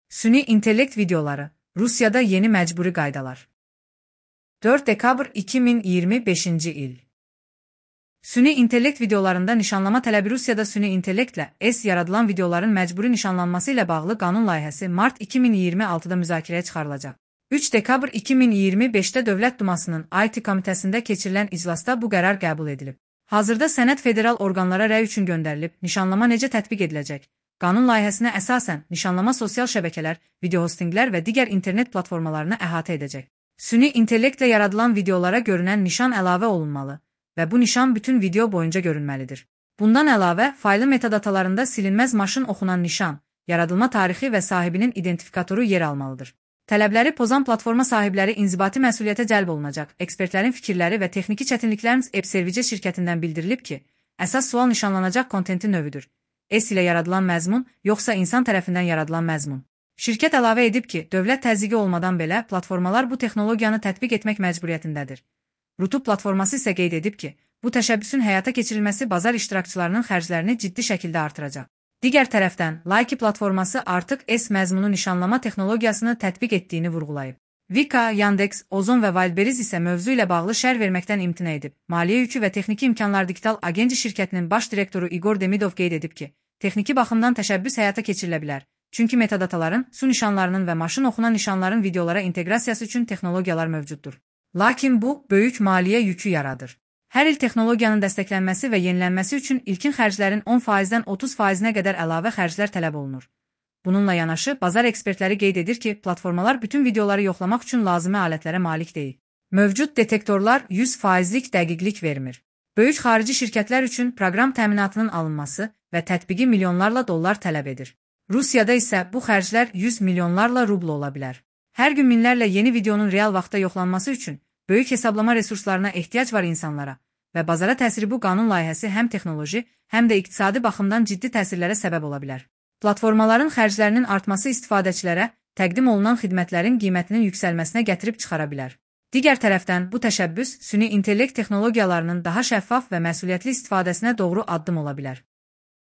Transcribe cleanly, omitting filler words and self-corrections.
Süni intellekt videoları, Rusiyada yeni məcburi qaydalar. 4 dekabr 2025-ci il. Süni intellekt videolarında nişanlama tələbi Rusiyada süni intellektlə yaradılan videoların məcburi nişanlanması ilə bağlı qanun layihəsi mart 2026-da müzakirəyə çıxarılacaq. 3 dekabr 2025-də Dövlət Dumasının IT komitəsində keçirilən iclasda bu qərar qəbul edilib. Hazırda sənəd federal orqanlara rəy üçün göndərilib, nişanlama necə tətbiq ediləcək? Qanun layihəsinə əsasən, nişanlama sosial şəbəkələr, video hostinqlər və digər internet platformalarını əhatə edəcək. Süni intellektlə yaradılan videolara görünən nişan əlavə olunmalı və bu nişan bütün video boyunca görünməlidir. Bundan əlavə, faylı metadatalarında silinməz maşın oxunan nişan, yaradılma tarixi və sahibinin identifikatoru yer almalıdır. Tələbləri pozan platforma sahibləri inzibati məsuliyyətə cəlb olunacaq. Ekspertlərin fikirləri və texniki çətinliklərin Service şirkətindən bildirilib ki, əsas sual nişanlanacaq kontentin növüdür. ilə yaradılan məzmun, yoxsa insan tərəfindən yaradılan məzmun. Şirkət əlavə edib ki, dövlət təzyiqi olmadan belə platformalar bu texnologiyanı tətbiq etmək məcburiyyətindədir. Rutub platforması isə qeyd edib ki, bu təşəbbüsün həyata keçirilməsi bazar iştirakçılarının xərclərini ciddi şəkildə artıracaq. Digər tərəfdən, Like platforması artıq məzmunu nişanlama texnologiyasını tətbiq etdiyini vurğulayıb. Vika, Yandex, Ozon və Wildberries isə mövzu ilə bağlı şərh verməkdən imtina edib. Maliyyə yükü və texniki imkanlar Digital Agency şirkətinin baş direktoru Igor Demidov qeyd edib ki, texniki baxımdan təşəbbüs həyata keçirilə bilər. Çünki metadataların, su nişanlarının və maşın oxunan nişanların videolara inteqrasiyası üçün texnologiyalar mövcuddur. Lakin bu, böyük maliyyə yükü yaradır. Hər il texnologiyanın dəstəklənməsi və yenilənməsi üçün ilkin xərclərin 10%-dən 30%-nə qədər əlavə xərclər tələb olunur. Bununla yanaşı, bazar ekspertləri qeyd edir ki, platformalar bütün videoları yoxlamaq üçün lazımi alətlərə malik deyil. Mövcud detektorlar 100%lik dəqiqlik vermir. Böyük xarici şirkətlər üçün proqram təminatının alınması və tətbiqi milyonlarla dollar tələb edir. Rusiyada isə bu xərclər 100 milyonlarla rubl ola bilər. Hər gün minlərlə yeni videonun real vaxtda yoxlanması üçün böyük hesablama resurslarına ehtiyac var insanlara və bazara təsiri bu qanun layihəsi həm texnoloji, həm də iqtisadi baxımdan ciddi təsirlərə səbəb ola bilər. Platformaların xərclərinin artması istifadəçilərə təqdim olunan xidmətlərin qiymətinin yüksəlməsinə gətirib çıxara bilər. Digər tərəfdən, bu təşəbbüs süni intellekt texnologiyalarının daha şəffaf və məsuliyyətli istifadəsinə doğru addım ola bilər.